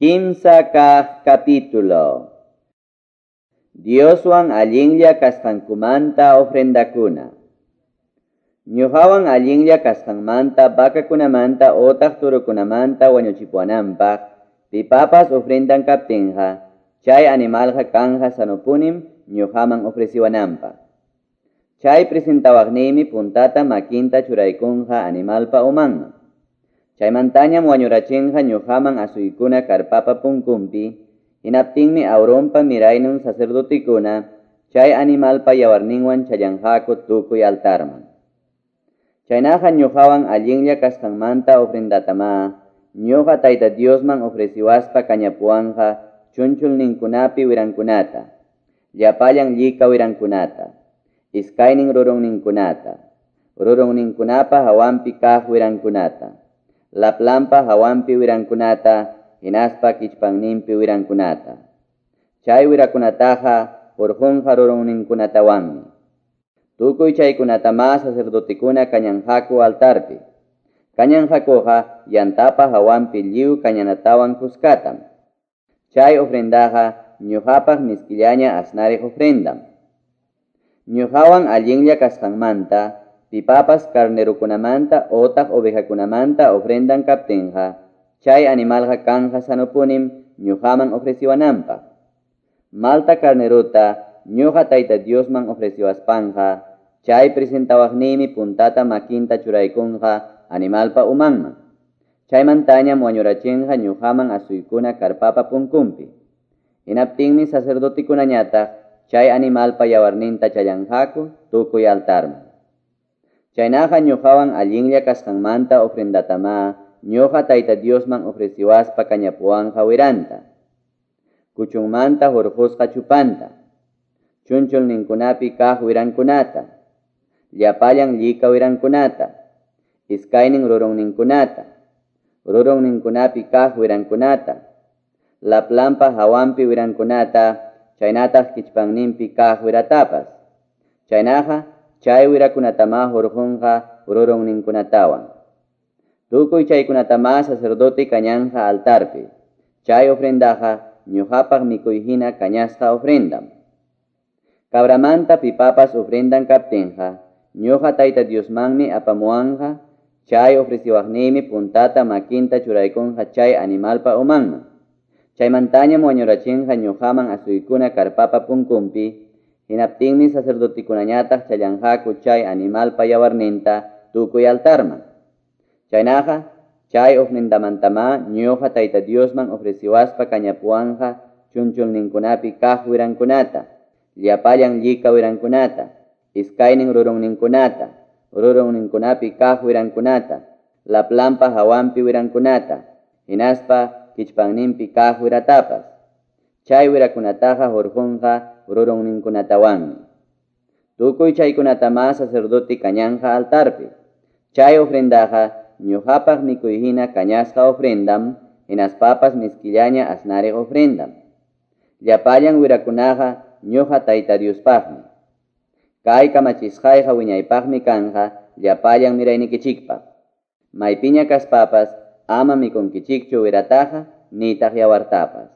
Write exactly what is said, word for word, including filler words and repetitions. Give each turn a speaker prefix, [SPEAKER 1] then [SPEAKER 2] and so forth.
[SPEAKER 1] Kimsa kaq capítulo. Dioswan allinlla kasqankumanta ofrendakuna. Ñuqawan allinlla kasqanmanta vacakunamanta otaq turukunamanta wañuchipuwananpaq pipapas ofrendan kaptinqa chay animalqa kanja sanopunim ñuqaman ofreciwananpaq. Chay presentawaqniymi puntata makinta churaykunqa animalpa umanman. Chaymantañam wañurachinqa ñuqaman asuykuna karpapa punkunpi, hinaptinmi Aaronpa miraynun sacerdotikuna chay animalpa yawarninwan challanqaku tukuy altarman. Chaynaqa ñuqawan allinlla kasqanmanta ofrendatama ñuqa Tayta Diosman ofreciwaspa kañapuwanqa chunchulninkunapi wirankunata, llapallan llika wirankunata, iskaynin rurunninkunata, rurunninkunapa hawanpi kaq wirankunata, laplampa hawanpi wirankunata, hinaspa kichpanninpi wirankunata. Chay wirakunataqa hurqunqa rurunninkunatawanmi. Tukuy chaykunatama sacerdotekuna kañanqaku altarpi. Kañanqakuqa yantapa hawanpi lliw kañanatawan kuskatam. Chay ofrendaqa ñuqapaq miskillaña asnariq ofrendam. Ñuqawan allinlla kasqanmanta pipapas carnerukunamanta otaq ovejakunamanta ofrendan kaptinqa chay animalqa kanja sanopunim ñuqaman ofreciwananpaq. Malta carneruta ñuqa Tayta Diosman ofreciwaspanqa chay presentawaqniymi puntata makinta churaykunqa animalpa umanman. Chaymantañam wañurachinqa ñuqaman asuykuna karpapa punkunpi. Hinaptinmi sacerdotikunañataq chay animalpa yawarninta challanqaku tukuy altarman. Chaynaqa ñuqawan allinlla kasqanmanta ofrendatama ñuqa Tayta Diosman ofreciwaspa kañapuwanqa wiranta, kuchunmanta hurqusqa chupanta, chunchulninkunapi kaq wirankunata, llapallan llika wirankunata, iskaynin rurunninkunata, rurunninkunapi kaq wirankunata, laplampa hawanpi wirankunata, chaynataq kichpanninpi kaq wiratapas. Chaynaqa chay wirakunatama hurqunqa rurunninkunatawan. Tukuy chaykunatama sacerdote kañanqa altarpi. Chay ofrendaqa ñuqapaq mikuy hina kañasqa ofrendam. Cabramanta pipapas ofrendan kaptinqa ñuqa Tayta Diosmanmi apamuwanqa chay ofreciwaqniymi puntata makinta churaykunqa chay animalpa umanman. Chaymantañam wañurachinqa ñuqaman asuykuna karpapa punkunpi, hinaptinmi sacerdotikunañataq challanqaku chay animalpa yawarninta tukuy altarman. Chaynaqa chay ofrendamantama ñuqa Tayta Diosman ofreciwaspa kañapuwanqa chunchulninkunapi kaq wirankunata, llapallan llika wirankunata, iskaynin rurunninkunata, rurunninkunapi kaq wirankunata, laplampa hawanpi wirankunata, hinaspa kichpanninpi kaq wiratapas. Chay wirakunataqa hurqunqa rurunninkunatawanmi. Tukuy chaykunatama sacerdote kañanqa altarpi. Chay ofrendaqa ñuqapaq mikuy hina kañasqa ofrendam, hinaspapas miskillaña asnariq ofrendam. Llapallan wirakunaqa ñuqa Tayta Diospaqmi. Kay kamachisqayqa wiñaypaqmi kanja llapallan miraynikichikpaq. Maypiña kaspapas ama mikunkichikchu wirataqa nitaq yawartapas.